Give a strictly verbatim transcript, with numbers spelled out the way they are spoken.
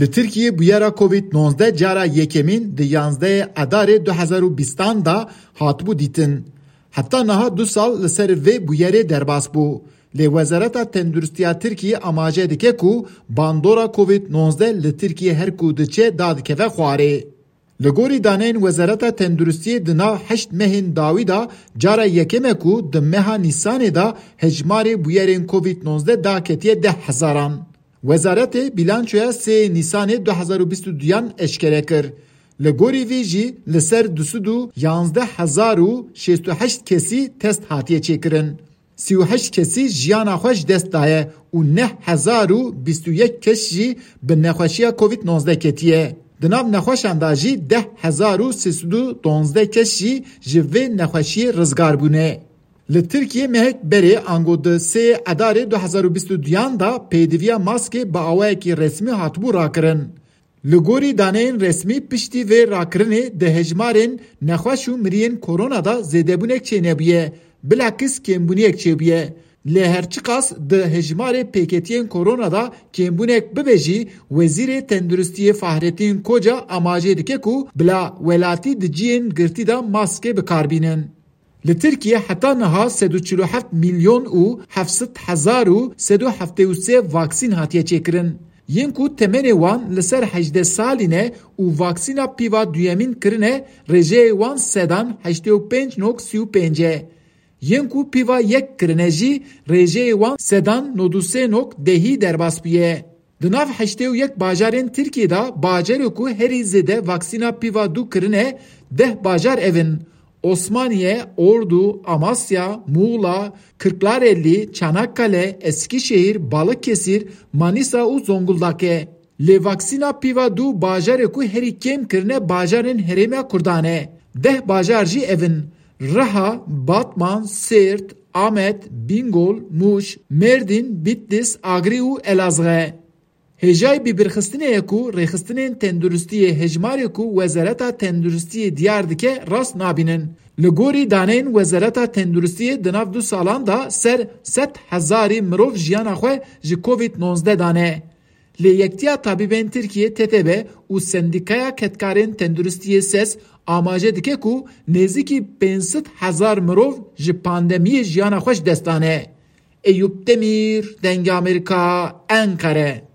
Li Tirkiyê bûyera Covid nozde cara yekemîn di yanzdehê Edarê du hezar û bîstan de hatibû dîtin. Heta niha du sal li ser vê bûyerê derbas bû. Lê Wezareta Tenduristiya Tirkiyê amaje dike ku bandora Covid nozde li Tirkiyê her ku diçe dadikeve xwarê. Li gorî daneyên Wezareta Tenduristiyê di nav heşt mehên dawî de cara yekem e ku di meha Nîsanê de hejmarê bûyerên Covid nozde daketiye deh hezaran. Wezaretê bîlançoya sê Nîsanê du hezar û bîst û duyan eşkere kir. Li gorî vê jî li ser du sed û yanzdeh hezar û şêst û heşt kesî test hatiye çêkirin. Sî û heşt kesî jiyana xwe ji dest daye û neh hezar û bîst û yek kes jî bi nexweşiya Covid nozde ketiye. Di nav nexweşan de jî deh hezar û sê sed û donzdeh kes jî ji vê nexweşiyê rizgar bûne. Li Tirkiyê mehek berê ango di sê Edarê du hezar û bîst û duyan de pêdiviya maskê bi awayekî resmî hatibû rakirin. Li gorî daneyên resmî piştî vê rakirinê di hejmarên nexweş û miriyên korona de zêdebûnek çênebûye, bilakis kêmbûniyek çêbûye. Lê her çiqas di hejmarê pêketiyên korona de kêmbûnek bibe jî, Wezîrê Tenduristiyê Fahrettin Koca amajê dike ku bila welatî di cihên girtî de maskê bi kar bînin. Li Tirkiye heta niha sed û çil û heft milyon û heft sed hezar û sed û heftê û sê vaksîn hatiye çêkirin. Yên ku temenê wan li ser hejdeh salî ne û vaksîna pîva duyemîn kirine, rêjeyê wan sedan heştê û pênc nok sî û pênc e. Yên ku pîva yek kirine jî rêjeyê wan sedan nod û sê nok dehî derbas bûye. Di nav heştê û yek bajarên Tirkiyê de bajarê ku herî zêde vaksîna pîva du kirine, deh bajar ev in: Osmaniye, Ordu, Amasya, Muğla, Kırklareli, Çanakkale, Eskişehir, Balıkesir, Manisa û Zonguldak e. Lê vaksîna pîva du bajarê ku herî kêm kirine bajarên Herêma Kurdan e. Deh bajar jî ev in: Riha, Batman, Sêrt, Amed, Bîngol, Mûş, Mêrdîn, Bîtlis, Agrî û Elazığ e. Hêjayî bîbirxistinê ye ku rêxistinên tenduristiyê hejmarê ku Wezareta Tenduristiyê diyar dike rast nabînin. Li gorî daneyên Wezareta Tenduristiyê di nav du salan de ser sed hezarî mirov jiyana xwe ji Covid nozde dane. Lê Yektiya Tabîbên Tirkiyê, T T B, û Sendîkaya Kedkarên Tenduristiyê, ses, amaje dike ku nêzîkî pênc sed hezar mirov ji pandemiyê jiyana xwe ji dest dane. Eyûp Demîr, Dengê Amerîka, Enqere.